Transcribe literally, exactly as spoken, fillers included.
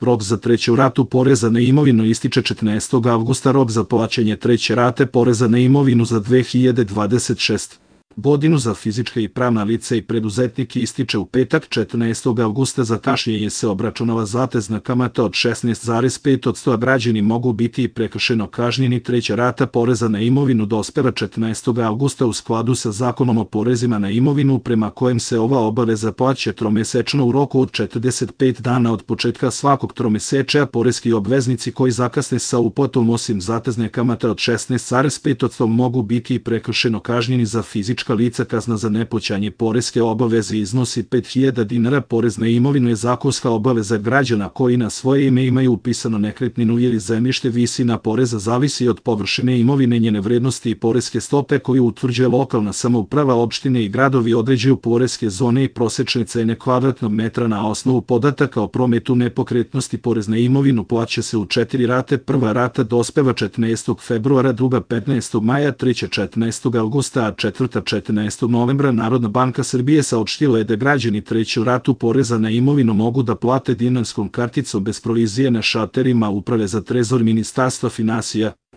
Rok za treću ratu poreza na imovinu ističe četrnaestog avgusta. Rok za plaćanje treće rate poreza na imovinu za dve hiljade dvadeset šeste. godinu za fizička i pravna lica i preduzetnike ističe u petak četrnaestog avgusta. Za kašnjenje se obračunava zatezna kamata od šesnaest zarez pet posto, a građani mogu biti i prekršeno kažnjeni. Treća rata poreza na imovinu dospeva četrnaestog avgusta u skladu sa Zakonom o porezima na imovinu, prema kojem se ova obaveza plaća tromesečno u roku od četrdeset pet dana od početka svakog tromesečja. Poreski obveznici koji zakasne sa uplatom osim zatezne kamate od šesnaest zarez pet posto mogu biti i prekršeno kažnjeni. Za fizička lica kazna za neplaćanje poreske obaveze iznosi pet hiljada dinara. Porez na imovinu je zakonska obaveza građana koji na svoje ime imaju upisano nekretninu ili zemljište. Visina poreza zavisi od površine imovine, njene vrednosti i poreske stope koju utvrđuje lokalna samouprava. Opštine i gradovi određuju poreske zone i prosečne cene kvadratnog metra na osnovu podataka o prometu nepokretnosti. Porez na imovinu plaća se u četiri rate. Prva rata dospeva četrnaestog februara, druga petnaestog maja, treća četrnaestog avgusta, a četvrta četrnaestog novembra. Narodna banka Srbije saopštila je da građani treću ratu poreza na imovinu mogu da plate dinarskom karticom bez provizije na šalterima Uprave za trezor Ministarstva finansija.